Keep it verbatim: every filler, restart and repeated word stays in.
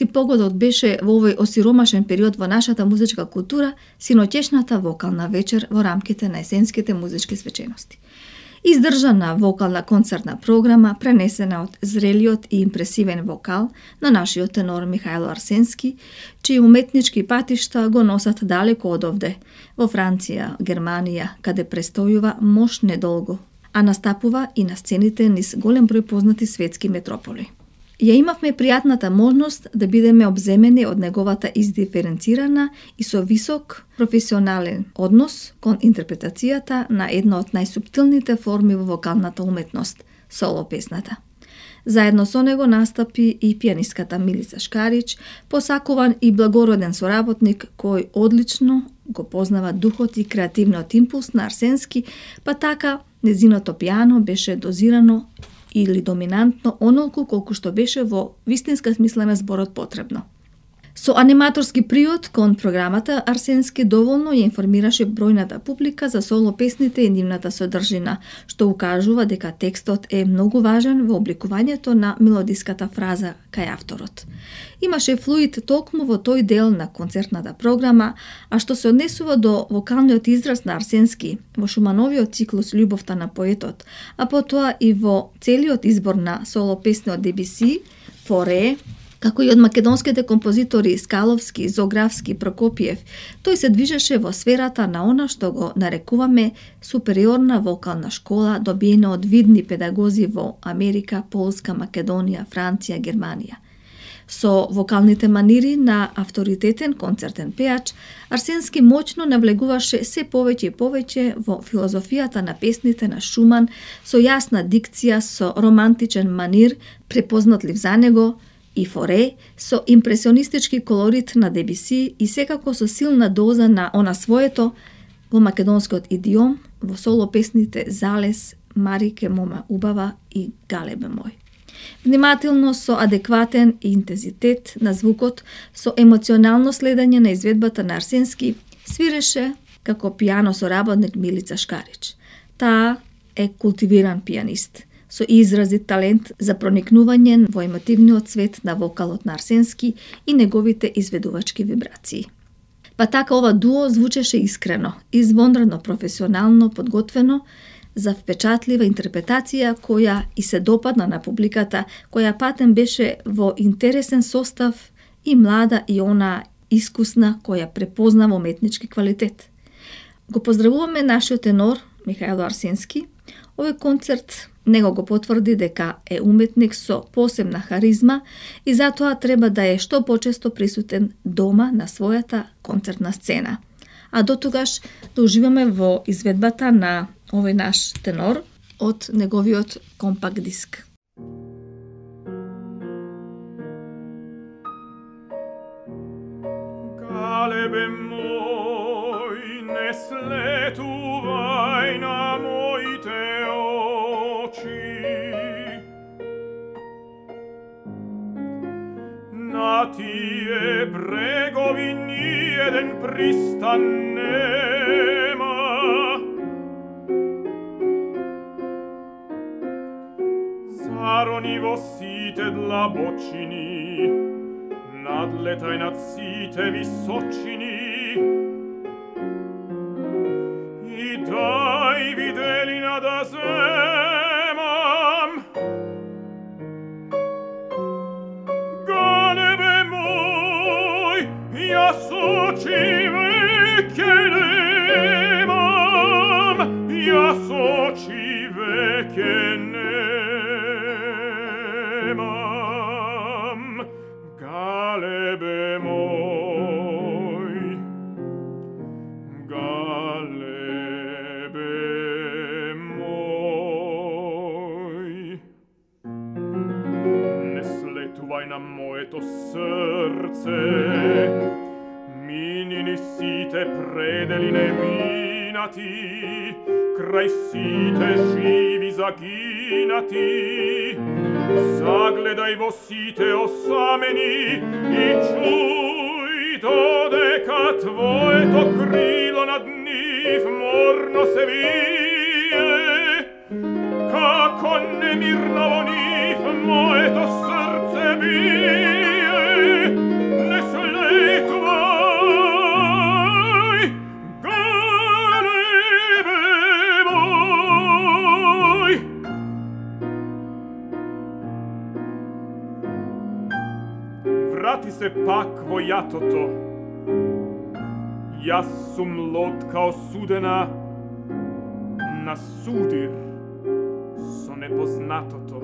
арсенски погодот беше во овој осиромашен период во нашата музичка култура синоќешната вокална вечер во рамките на есенските музички свечености. Издржана вокална концертна програма пренесена од зрелиот и импресивен вокал на нашиот тенор Михајло Арсенски, чии уметнички патишта го носат далеко од овде, во Франција, Германија, каде престојува мош недолго, а настапува и на сцените низ голем број познати светски метрополи. Ја имавме пријатната можност да бидеме обземени од неговата издиференцирана и со висок професионален однос кон интерпретацијата на една од најсуптилните форми во вокалната уметност – соло песната. Заедно со него настапи и пијанистката Милица Шкарич, посакуван и благороден соработник кој одлично го познава духот и креативниот импулс на Арсенски, па така незиното пијано беше дозирано или доминантно онолку колку што беше во вистинска смисла на зборот потребно. Со аниматорски приод кон програмата Арсенски доволно ја информираше бројната публика за соло песните и нивната содржина, што укажува дека текстот е многу важен во обликувањето на мелодиската фраза кај авторот. Имаше флуид толкму во тој дел на концертната програма, а што се однесува до вокалниот израз на Арсенски во Шумановиот циклус Љубовта на поетот, а потоа и во целиот избор на соло песни од Дебюси, Форе, како и од македонските композитори Скаловски, Зографски, Прокопиев, тој се движеше во сферата на она што го нарекуваме супериорна вокална школа, добиена од видни педагози во Америка, Полска, Македонија, Франција, Германија. Со вокалните манири на авторитетен концертен пеач, Арсенски моќно навлегуваше се повеќе и повеќе во филозофијата на песните на Шуман, со јасна дикција, со романтичен манир, препознатлив за него, и Форе, со импресионистички колорит на Дебюси и секако со силна доза на она своето во македонскиот идиом, во соло песните Залез, Марике мома убава и Галебе мој. Внимателно, со адекватен интензитет на звукот, со емоционално следење на изведбата на Арсенски, свиреше како пијано соработник Милица Шкарич. Таа е култивиран пијанист, со изразит талент за проникнување во емотивниот свет на вокалот на Арсенски и неговите изведувачки вибрации. Па така ова дуо звучеше искрено, извонредно професионално подготвено, за впечатлива интерпретација која и се допадна на публиката, која патем беше во интересен состав и млада и она искусна која препознава уметнички квалитет. Го поздравуваме нашиот тенор Михајло Арсенски. Овој концерт него го потврди дека е уметник со посебна харизма и затоа треба да е што почесто присутен дома на својата концертна сцена. А до тогаш да уживаме во изведбата на овој наш тенор од неговиот компакт диск. Галебе мој, не слетувај на моите очи. На тие брегови ниеден пристан нема. Зарони во сите длабочини, надлетај над сите височини и дај виделина да земам. Галебе мој, јас очи веќе немам, јас очи веќе немам. Галебе мој, галебе мој, не слетувај на моето срце, минини сите пределине минати, крај сите живи загинати. Загледај во сите осамени и чуј додека твоето крило над нив морно се вие. Како немирно во нив моето срце бие. врати се пак во јатото. Јас сум лодка осудена на судир со непознатото.